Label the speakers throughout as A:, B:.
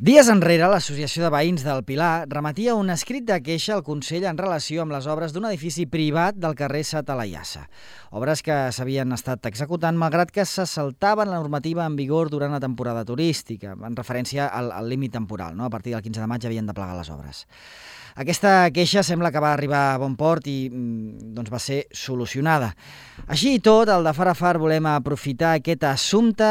A: Dies enrere, l'Associació de Veïns del Pilar remetia un escrit de queixa al Consell en relació amb les obres d'un edifici privat del carrer Satalayassa. Obres que s'havien estat executant malgrat que se saltaven la normativa en vigor durant la temporada turística, en referència al límit temporal, no? A partir del 15 de maig havien de plegar les obres. Aquesta queixa sembla que va arribar a bon port i doncs va ser solucionada. Així i tot, al de Far a Far volem aprofitar aquest assumpte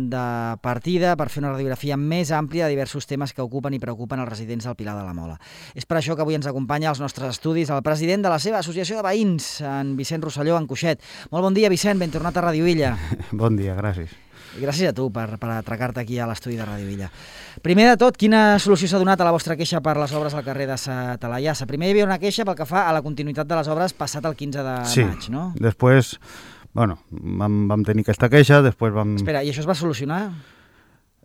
A: de partida per fer una radiografia més àmplia de diversos temes que ocupen i preocupen els residents del Pilar de la Mola. És per això que avui ens acompanya als nostres estudis el president de la seva associació de veïns, en Vicent Rosselló, en Coixet. Molt bon dia, Vicent, ben tornat a Ràdio Illa.
B: Bon dia, gràcies.
A: I gràcies a tu per atracar-te aquí a l'estudi de Ràdio Illa. Primer de tot, quina solució s'ha donat a la vostra queixa per les obres al carrer de Satalayassa? Primer hi havia una queixa pel que fa a la continuïtat de les obres passat el 15 de maig, no?
B: Sí, després, vam tenir aquesta queixa, després vam...
A: Espera, i això es va solucionar?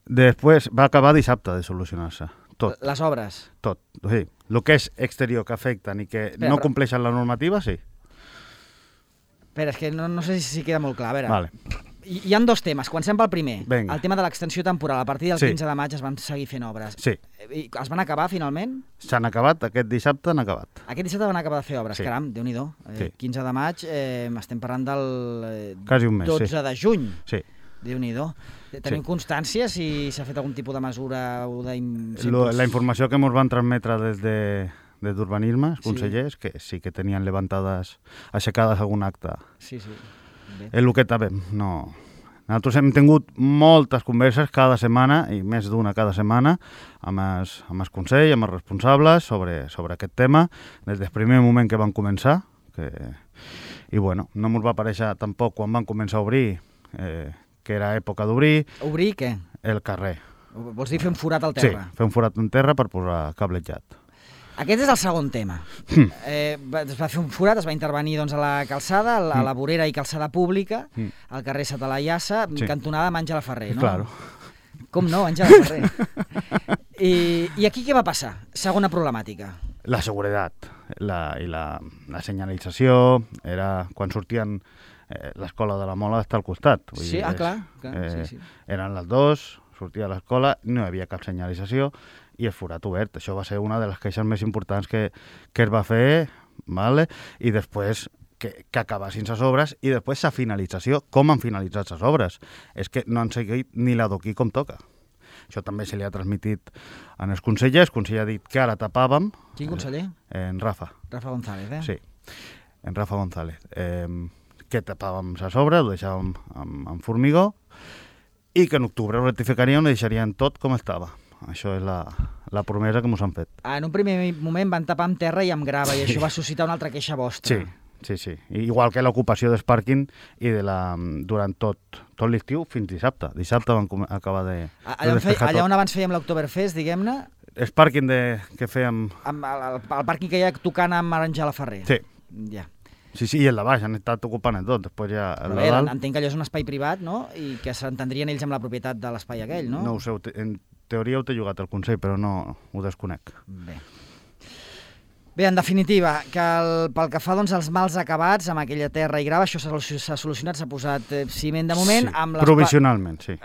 B: Després va acabar dissabte de solucionar-se, tot.
A: Les obres?
B: Tot, sí. El que és exterior que afecten i que no compleixen la normativa, sí.
A: Espera, és que no sé si queda molt clar, a veure...
B: Vale.
A: Hi ha dos temes. Comencem pel primer.
B: Venga.
A: El tema de l'extensió temporal. A partir del 15 de maig es van seguir fent obres.
B: Sí.
A: I es van acabar, finalment?
B: S'han acabat, aquest dissabte han acabat.
A: Aquest dissabte van acabar de fer obres.
B: Sí.
A: Caram, Déu-n'hi-do.
B: Sí.
A: 15 de maig, estem parlant del
B: Quasi un mes,
A: 12 de juny.
B: Sí.
A: Déu-n'hi-do. Tenim constància si s'ha fet algun tipus de mesura o
B: La informació que ens van transmetre des d'urbanisme, els consellers, que sí que tenien levantades, aixecades algun acte.
A: Sí. Bé.
B: És el que sabem, no... Nosaltres hem tingut moltes converses cada setmana, i més d'una cada setmana, amb el Consell, amb els responsables, sobre aquest tema, des del primer moment que van començar. I no ens va aparèixer tampoc quan van començar a obrir, que era època d'obrir...
A: Obrir què?
B: El carrer.
A: Vols dir fer un forat al terra?
B: Sí, fer un forat en terra per posar cablejat.
A: Aquest és el segon tema. Es va fer un forat, es va intervenir a la calçada, a la vorera i calçada pública, al carrer Satalayassa, cantonada amb Àngela Ferrer, no?
B: Claro.
A: Com no, Àngela Ferrer. I aquí què va passar? Segona problemàtica.
B: La seguretat i la senyalització era quan sortien l'escola de la Mola d'estar al costat.
A: Sí, clar. Sí.
B: Eren les 2, sortia de l'escola, no hi havia cap senyalització, i el forat obert. Això va ser una de les queixes més importants que es va fer, vale? I després que acabassin les obres i després la finalització. Com han finalitzat les obres? És que no han seguit ni l'adoquí com toca. Això també se li ha transmitit en els consellers. El conseller ha dit que ara tapàvem...
A: Quin conseller?
B: En Rafa.
A: Rafa González,
B: Sí, en Rafa González. Que tapàvem les obres, ho deixàvem amb formigó, i que en octubre ho rectificaríem i deixarien tot com estava. Això és la promesa que ens han fet.
A: En un primer moment van tapar amb terra i amb grava, i això va suscitar una altra queixa vostra.
B: Sí. Igual que l'ocupació del pàrquing i durant tot l'estiu fins dissabte. Dissabte van acabar de despejar tot.
A: Allà on abans fèiem l'Oktoberfest, diguem-ne...
B: El pàrquing que fèiem...
A: El pàrquing que hi ha tocant amb Àngela Ferrer.
B: Sí.
A: Ja.
B: Sí, i el de baix han estat ocupant tot, després ja...
A: Entenc que allò és un espai privat, no? I que s'entendrien ells amb la propietat de l'espai aquell, no?
B: No ho sé, en teoria ho té jugat el Consell, però no ho desconec.
A: Bé, en definitiva, que pel que fa als mals acabats amb aquella terra i grava, això s'ha solucionat, s'ha posat ciment de moment...
B: Sí, provisionalment, sí.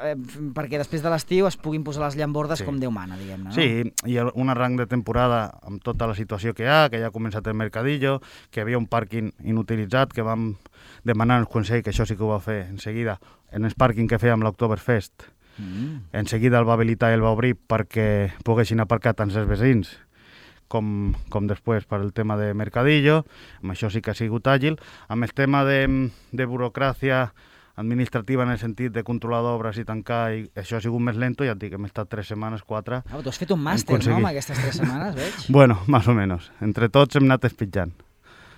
A: Perquè després de l'estiu es puguin posar les llambordes com Déu mana, diguem-ne, no?
B: Sí, i un arranc de temporada amb tota la situació que ja ha començat el mercadillo, que hi havia un pàrquing inutilitzat, que vam demanar al Consell, que això sí que ho va fer en seguida, en el pàrquing que fèiem l'Oktoberfest. En seguida el va habilitar i el va obrir perquè poguessin aparcar tant els veïns com després per el tema de mercadillo. Amb això sí que ha sigut àgil. Amb el tema de burocràcia administrativa en el sentit de controlar d'obres i tancar, i això ha sigut més lento, ja et dic, hem estat 3 setmanes, 4...
A: Tu has fet un màster, no?, amb aquestes 3 setmanes, veig?
B: Bueno, més o menys. Entre tots hem anat espitjant.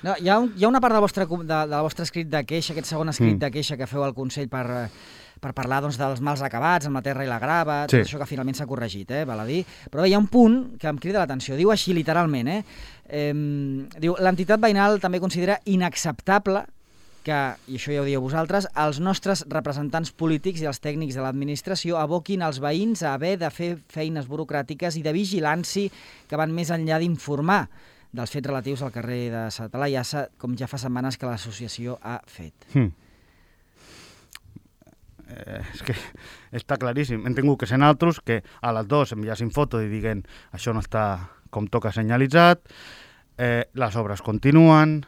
A: No, hi ha una part del vostre escrit de queixa, aquest segon escrit de queixa que feu al Consell per parlar dels mals acabats amb la terra i la grava, tot això que finalment s'ha corregit, val a dir. Però hi ha un punt que em crida l'atenció, diu així literalment, diu, l'entitat veïnal també considera inacceptable que, i això ja ho dieu vosaltres, els nostres representants polítics i els tècnics de l'administració aboquin els veïns a haver de fer feines burocràtiques i de vigilància que van més enllà d'informar dels fets relatius al carrer de Satalayassa, com ja fa setmanes que l'associació ha fet.
B: és que està claríssim. Hem tingut que ser naltros que a les 2 enviassin foto i diguen això no està com toca senyalitzat, les obres continuen,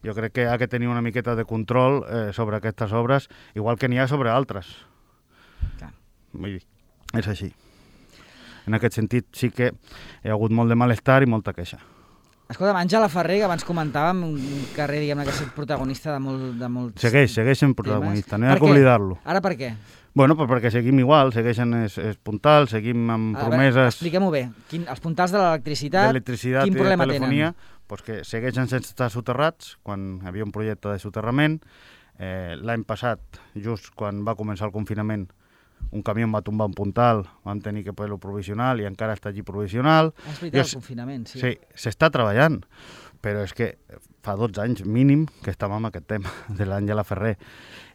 B: jo crec que ha de tenir una miqueta de control sobre aquestes obres, igual que n'hi ha sobre altres.
A: Clar.
B: Vull dir, és així. En aquest sentit sí que hi ha hagut molt de malestar i molta queixa.
A: Escolta'm, Àngela Ferrer, que abans comentàvem, un carrer, diguem-ne, que ha estat protagonista de molts
B: Segueix sent protagonista, no hi ha
A: Per
B: que
A: què?
B: oblidar-lo.
A: Ara per què?
B: Bueno, pues perquè seguim igual, segueixen els puntals, seguim amb promeses
A: Expliquem-ho bé. Els puntals de l'electricitat,
B: d'electricitat
A: quin
B: i de
A: problema
B: telefonia,
A: tenen?
B: pues que segueixen sense estar soterrats, quan hi havia un projecte de soterrament. L'any passat, just quan va començar el confinament, un camió va tombar un puntal, vam tenir que poder-lo provisional i encara està allí provisional.
A: És veritat, el confinament, sí.
B: Sí, s'està treballant, però és que fa 12 anys mínim que estàvem amb aquest tema de l'Àngela Ferrer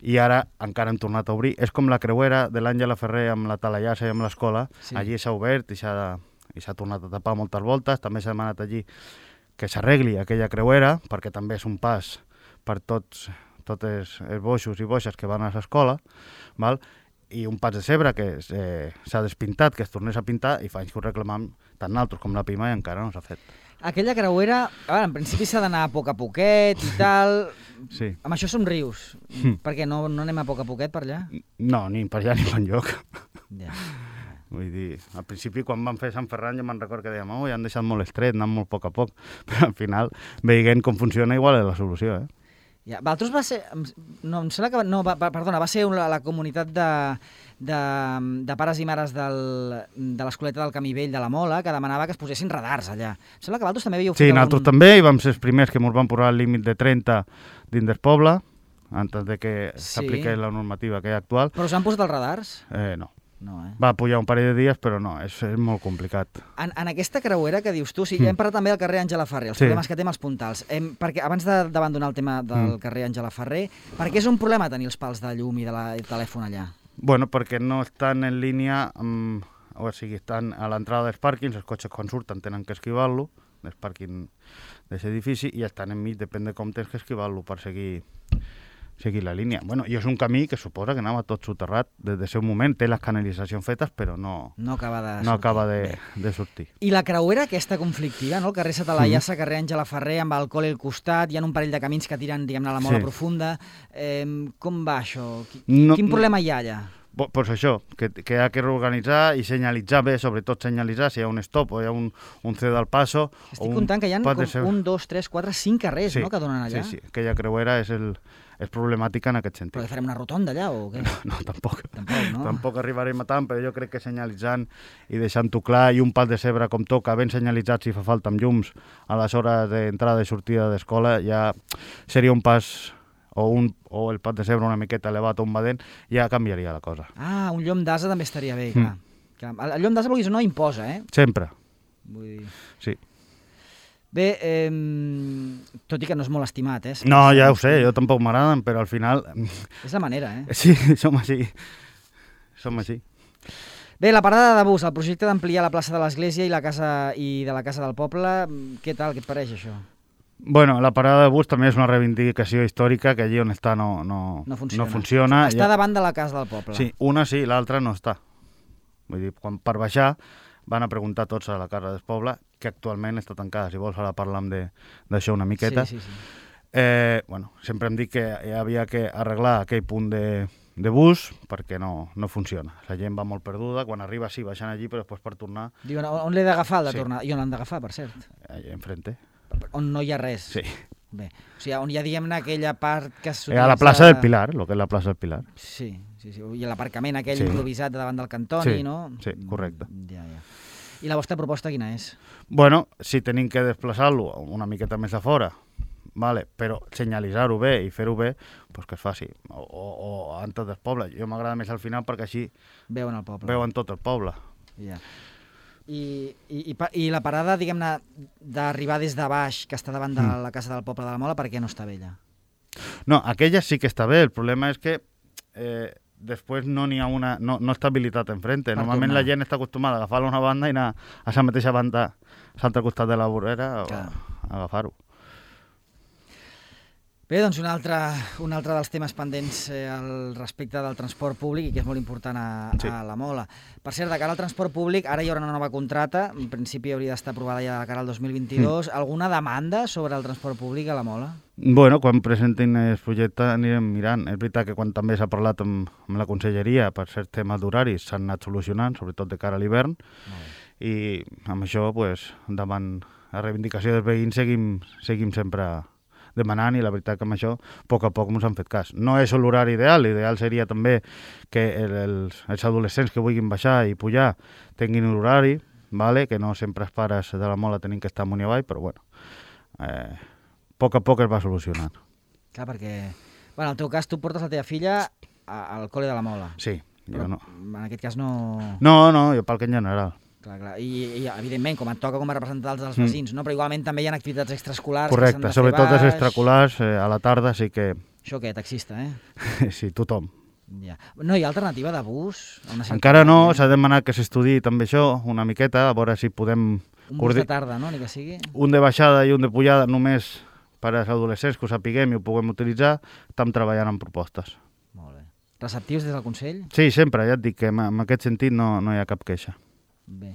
B: i ara encara hem tornat a obrir. És com la creuera de l'Àngela Ferrer amb la Talaiassa i amb l'escola, sí. Allí s'ha obert i s'ha tornat a tapar moltes voltes, també s'ha demanat allí que s'arregli aquella creuera, perquè també és un pas per tots els boixos i boixes que van a l'escola, val? I un pas de cebre que s'ha despintat, que es tornés a pintar, i fa anys que ho reclamam tant nosaltres com la PIMA i encara no s'ha fet.
A: Aquella creuera, en principi s'ha d'anar a poc a poquet i tal.
B: Sí.
A: Amb això somrius. Per què no anem a poc a poquet per allà?
B: No, ni per allà ni per enlloc.
A: Ja.
B: Vull dir, al principi quan vam fer Sant Ferran ja me'n recordo que dèiem ja han deixat molt estret, anant molt a poc a poc, però al final, veient com funciona, igual és la solució,
A: Ja, Valtros va ser... No, em sembla que... No, perdona, va ser la comunitat de pares i mares de l'Escoleta del Camí Vell de la Mola que demanava que es posessin radars allà. Em sembla que Valtros també havíeu fet
B: Sí, nosaltres també, i vam ser els primers que ens van posar el límit de 30 dins del poble, antes de que s'apliqués la normativa que hi ha actual.
A: Però us han posat els radars?
B: No.
A: No,
B: Va pujar un parell de dies, però no, és molt complicat.
A: En aquesta creuera que dius tu, ja hem parlat també del carrer Àngela Ferrer, els problemes que té amb els puntals. Perquè abans d'abandonar el tema del carrer Àngela Ferrer, per què és un problema tenir els pals de llum i de telèfon allà?
B: Bueno, perquè no estan en línia amb... O sigui, estan a l'entrada dels pàrquings, els cotxes quan surten tenen que esquivar-lo, del pàrquing d'aquest edifici, i estan enmig, depèn de com tens que esquivar-lo per seguir la línia. Bueno, i és un camí que suposa que anava tot soterrat des del seu moment, té les canalitzacions fetes, però no acaba de sortir.
A: I la creuera aquesta conflictiva, no? El carrer Satalaiassa, carrer Àngela Ferrer, amb el col·le al costat, hi ha un parell de camins que tiren, diguem-ne, a la Mola Profunda. Com va això? Quin problema hi ha allà?
B: Pues això, que ha que reorganitzar i senyalitzar bé, sobretot senyalitzar si hi ha un stop o hi ha un cedo al paso.
A: Estic comptant que hi ha com 1, 2, 3, 4, 5 carrers, no?, que donen allà.
B: Sí, aquella creuera és problemàtica en aquest sentit.
A: Però farem una rotonda allà o què?
B: No, tampoc.
A: No?
B: Tampoc arribarem a tant, però jo crec que senyalitzant i deixant-ho clar i un pas de cebre com toca, ben senyalitzat si fa falta amb llums a les hores d'entrada i sortida d'escola, ja seria un pas... o el pas de cebre una miqueta elevat o un badent, ja canviaria la cosa.
A: Ah, un llom d'ase també estaria bé, clar. El llom d'ase, vulguis o no, imposa,
B: Sempre.
A: Vull dir...
B: Sí.
A: Bé, tot i que no és molt estimat,
B: No, ja ho sé, jo tampoc m'agraden, però al final...
A: És la manera,
B: Sí, som així.
A: Bé, la parada de bus, el projecte d'ampliar la plaça de l'Església i de la Casa del Poble, què tal, què et pareix això?
B: Bueno, la parada de bus també és una reivindicació històrica que allí on està no funciona.
A: Està davant de la Casa del Poble.
B: Sí, una sí, l'altra no està. Vull dir, quan per baixar van a preguntar tots a la Casa del Poble, que actualment està tancada. Si vols ara parlam d'això una miqueta.
A: Sí.
B: Bueno, sempre hem dit que havia que arreglar aquell punt de bus perquè no funciona. La gent va molt perduda, quan arriba sí, baixant allí, però després per tornar...
A: Diuen, on l'he d'agafar el de tornar? I on l'han d'agafar, per cert?
B: Allà enfrente.
A: On no hi ha res?
B: Sí.
A: Bé, o sigui, on hi ha, diguem-ne, aquella part que s'utilitza...
B: A la plaça del Pilar, el que és la plaça del Pilar.
A: Sí. I l'aparcament aquell improvisat davant del Cantoni, no?
B: Sí, correcte.
A: Ja. I la vostra proposta quina és?
B: Bueno, si tenim que desplaçar-lo una miqueta més a fora, vale, però senyalitzar-ho bé i fer-ho bé, pues que es faci. O antes del poble. Jo m'agrada més al final perquè així
A: veuen el poble.
B: Veuen tot el poble.
A: Ja. I la parada, diguem-ne, d'arribar des de baix, que està davant de la Casa del Poble de la Mola, per què no està bé allà?
B: No, aquella sí que està bé. El problema és que després no n'hi ha no està habilitat enfrente. Normalment la gent està acostumada a agafar-la una banda i anar a la mateixa banda a l'altre costat de la vorera a agafar-ho.
A: Bé, doncs un altre dels temes pendents al respecte del transport públic i que és molt important a la Mola. Per cert, de cara al transport públic, ara hi haurà una nova contrata, en principi hauria d'estar aprovada ja de cara al 2022. Alguna demanda sobre el transport públic a la Mola?
B: Bueno, quan presentin el projecte anirem mirant. És veritat que quan també s'ha parlat amb la conselleria per certs temes d'horaris s'han anat solucionant, sobretot de cara a l'hivern, i amb això, davant la reivindicació dels veïns, seguim sempre demanant, i la veritat que amb això a poc ens han fet cas. No és l'horari ideal, l'ideal seria també que els adolescents que vulguin baixar i pujar tinguin un horari, que no sempre els pares de la Mola tenim que estar amunt i avall, però bueno, a poc es va solucionant.
A: Clar, perquè en el teu cas tu portes la teva filla al col·le de la Mola.
B: Sí,
A: però
B: jo no.
A: En aquest cas no...
B: No, jo pel que en general.
A: Clar. I evidentment, com et toca com a representant dels veïns, no? Però igualment també hi ha activitats extraescolars.
B: Correcte, sobretot les extraescolars, a la tarda sí que...
A: Això què, taxista,
B: Sí, tothom.
A: Ja. No hi ha alternativa de bus?
B: Encara no, s'ha demanat que s'estudiï també això, una miqueta, a veure si podem...
A: Un bus de tarda, no? Ni que sigui?
B: Un de baixada i un de pujada només per als adolescents, que ho sapiguem i ho puguem utilitzar. Estem treballant en propostes.
A: Molt bé. Receptius des del Consell?
B: Sí, sempre, ja et dic que en aquest sentit no hi ha cap queixa.
A: Bé.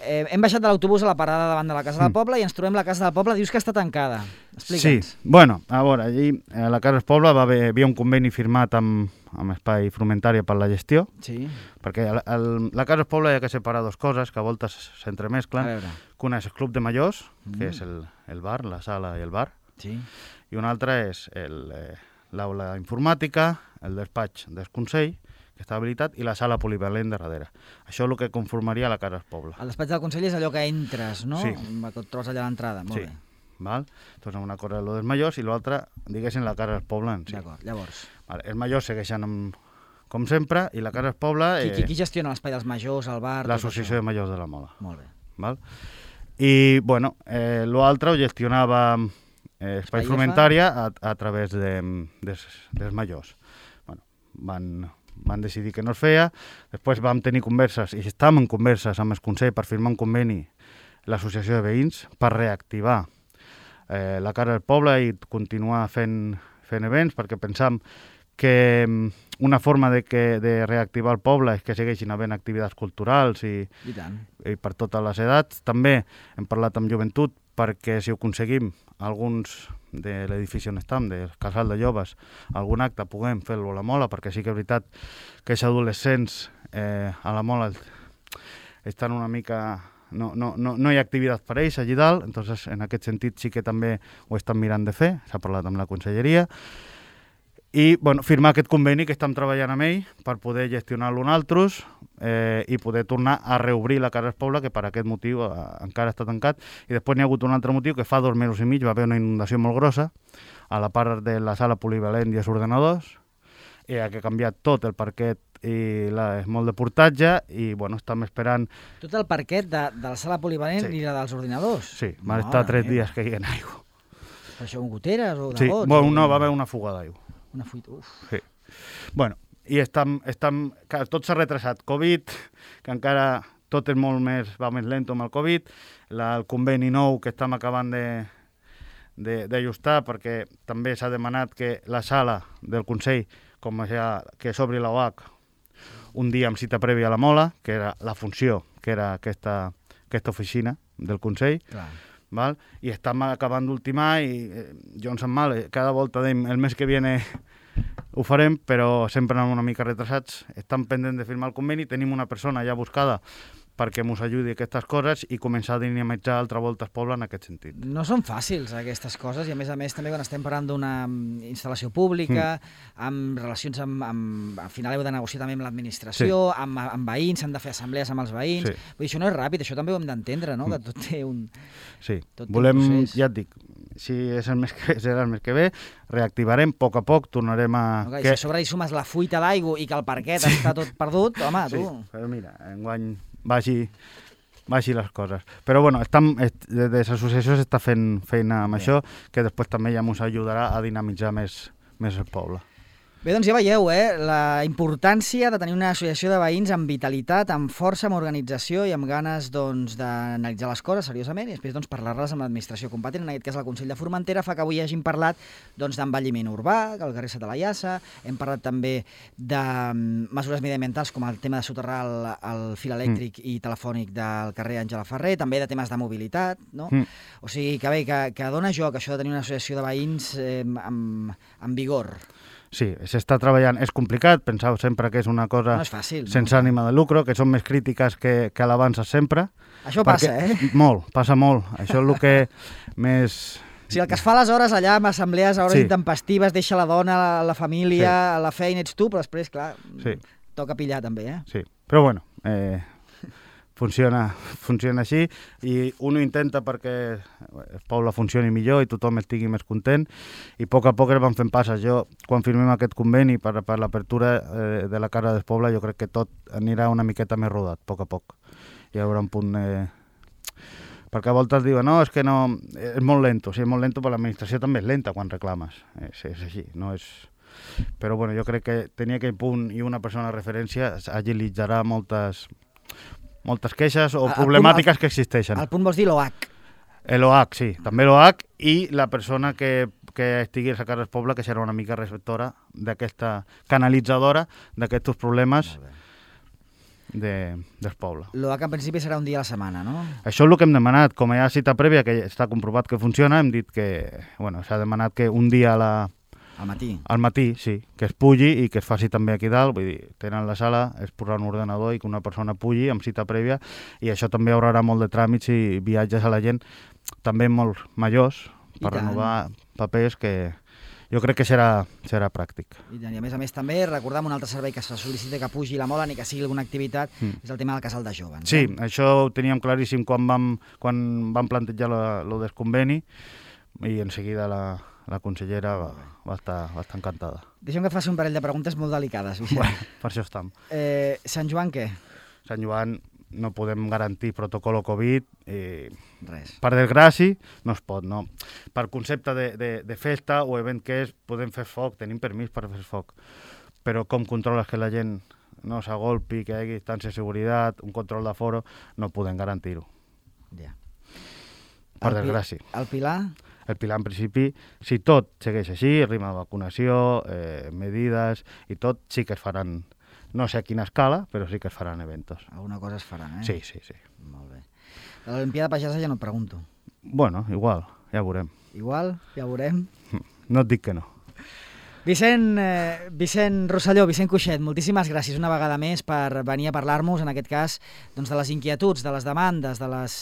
A: Hem baixat de l'autobús a la parada davant de la Casa del Poble i ens trobem la Casa del Poble, dius que està tancada. Explica'ns.
B: Sí, bueno, a veure, allí a la Casa del Poble hi havia un conveni firmat amb Espai Frumentària per la gestió, perquè la Casa del Poble hi ha que separar dues coses que a voltes s'entremesclen, que una és el Club de Majors, que és el bar, la sala i el bar, i una altra és l'aula informàtica, el despatx del Consell, que està habilitat, i la sala polivalent de darrere. Això és el que conformaria la Casa del Poble.
A: El despatx del Consell és allò que entres, no?
B: Sí.
A: Que et trobes allà a l'entrada. Molt bé.
B: Val? Doncs una cosa és el dels majors i l'altra, diguéssim, la Casa del Poble en si.
A: D'acord, llavors.
B: Els majors segueixen com sempre, i la Casa del Poble...
A: Qui gestiona l'espai dels majors, el bar...
B: L'Associació de Majors de la Mola.
A: Molt bé.
B: Val? I, bueno, l'altre ho gestionava Espai Frumentària a través dels majors. Bueno, van decidir que no es feia, després vam tenir converses, i estàvem en converses amb el Consell per firmar un conveni l'associació de veïns per reactivar la Casa del Poble i continuar fent events, perquè pensam que una forma de reactivar el poble és que segueixin havent activitats culturals i per totes les edats. També hem parlat amb joventut perquè si ho aconseguim, alguns de l'edifici on estem, del casal de joves, algun acte puguem fer-lo a la Mola, perquè sí que és veritat que els adolescents a la Mola estan una mica... No hi ha activitat per ells allí dalt, entonces en aquest sentit sí que també ho estan mirant de fer, s'ha parlat amb la conselleria, i bueno, firmar aquest conveni que estem treballant amb ell per poder gestionar-lo nosaltres i poder tornar a reobrir la Casa del Poble, que per aquest motiu encara està tancat. I després n'hi ha hagut un altre motiu, que fa 2 mesos i mig va haver una inundació molt grossa a la part de la sala polivalent i els ordenadors, i ha canviat tot el parquet i molt de portatge, i bueno, estem esperant...
A: Tot el parquet de la sala polivalent i la dels ordinadors?
B: Sí, van estar 3 dies que hi ha aigua.
A: Per això amb goteres o de
B: gots? Sí, bueno, no, va haver una fuga d'aigua.
A: Una fuita, uf.
B: Sí. Bueno, i tot s'ha retrasat. Covid, que encara tot és molt més, va més lento amb el Covid, el conveni nou que estem acabant d'ajustar, perquè també s'ha demanat que la sala del Consell, com ja que s'obri la OAC un dia amb cita prèvia a la Mola, que era la funció, que era aquesta oficina del Consell, val? I estem acabant d'ultimar i jo em sap mal, cada volta dèiem el mes que viene ho farem, però sempre anem una mica retrasats. Estem pendents de firmar el conveni, tenim una persona ja buscada perquè ens ajudi a aquestes coses i començar a dinamitzar altra volta el poble en aquest sentit. No
A: són fàcils aquestes coses i a més també quan estem parlant d'una instal·lació pública, amb relacions al final heu de negociar també amb l'administració, amb veïns, s'han de fer assemblees amb els veïns. Vull dir, això no és ràpid, això també ho hem d'entendre, no? Que tot té un...
B: Sí, volem, ja et dic, si serà el mes que ve, reactivarem, a poc tornarem a...
A: Si a sobre hi sumes la fuita d'aigua i que el parquet està tot perdut, home, tu...
B: Sí, però mira, enguany vagi les coses. Però bueno, des de l'associació s'està fent feina amb això, que després també ja ens ajudarà a dinamitzar més el poble.
A: Bé, doncs ja veieu, la importància de tenir una associació de veïns amb vitalitat, amb força, amb organització i amb ganes d'analitzar les coses seriosament i després parlar-les amb l'administració competent, en aquest cas el Consell de Formentera, fa que avui hagin parlat d'envelliment urbà, al carrer Sata Laiassa, hem parlat també de mesures mediambientals com el tema de soterrar el fil elèctric i telefònic del carrer Àngela Ferrer, també de temes de mobilitat, no? O sigui que bé, que dona joc això de tenir una associació de veïns amb vigor.
B: Sí, s'està treballant. És complicat, penseu sempre que és una cosa
A: no és fàcil,
B: sense ànima de lucre, que són més crítiques que alabances sempre.
A: Això passa,
B: Molt, passa molt. Això és el que més...
A: Sí, el que es fa aleshores allà amb assemblees a hores intempestives, deixa la dona, la família, la feina, ets tu, però després, clar, toca pillar també,
B: Sí, però bueno, funciona així i uno intenta perquè el poble funcioni millor i tothom estigui més content i a poc es van fent passes. Jo, quan firmem aquest conveni per l'apertura de la Casa del Poble, jo crec que tot anirà una miqueta més rodat, a poc. Hi haurà un punt... Perquè a voltes diuen, no, és que no... És molt lento, sí, és molt lento, però l'administració també és lenta quan reclames. És així, no és... Però bueno, jo crec que tenir aquell punt i una persona de referència agilitzarà moltes queixes o problemàtiques que existeixen.
A: El punt vols dir l'OH?
B: L'OH, sí, també l'OH i la persona que estigui a la Casa del Poble, que serà una mica receptora d'aquesta, canalitzadora d'aquests problemes del poble.
A: L'OH en principi serà un dia a la setmana, no?
B: Això és el que hem demanat. Com hi ha cita prèvia, que està comprovat que funciona, hem dit que s'ha demanat que un dia
A: al matí.
B: Al matí, sí, que es pugui i que es faci també aquí dalt, vull dir, tenen la sala, es posarà un ordenador i que una persona pugui amb cita prèvia i això també ahorrarà molt de tràmits i viatges a la gent, també molt majors, per renovar papers que jo crec que serà pràctic.
A: I a més també recordar un altre servei que se sol·licita que pugi la mola ni que sigui alguna activitat, és el tema del casal de joves.
B: Sí, això ho teníem claríssim quan vam plantejar el del conveni i en seguida la consellera va estar encantada.
A: Deixa'm que et faci un parell de preguntes molt delicades, Vicent.
B: Bueno, per això estem.
A: Sant Joan què?
B: Sant Joan no podem garantir protocol Covid.
A: Res.
B: Per desgràcia, no es pot, no. Per concepte de festa o event que és, podem fer foc, tenim permís per fer foc. Però com controles que la gent no s'agolpi, que hi hagi distància de seguretat, un control d'aforo, no podem garantir-ho.
A: Ja.
B: Per desgràcia.
A: El Pilar?
B: El Pilar, en principi, si tot segueix així, ritme de vacunació, medides i tot, sí que es faran, no sé a quina escala, però sí que es faran eventos.
A: Alguna cosa es faran,
B: Sí.
A: Molt bé. De l'Olimpiada Pagesa ja no et pregunto.
B: Bueno, igual, ja veurem.
A: Igual, ja veurem.
B: No et dic que no.
A: Vicent Rosselló, Vicent Cuixet, moltíssimes gràcies una vegada més per venir a parlar-nos, en aquest cas, de les inquietuds, de les demandes, de les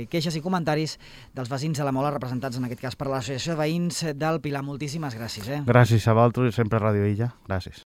A: queixes i comentaris dels veïns de la Mola, representats en aquest cas per l'Associació de Veïns del Pilar. Moltíssimes gràcies.
B: Gràcies a vosaltres, sempre a Ràdio Illa. Gràcies.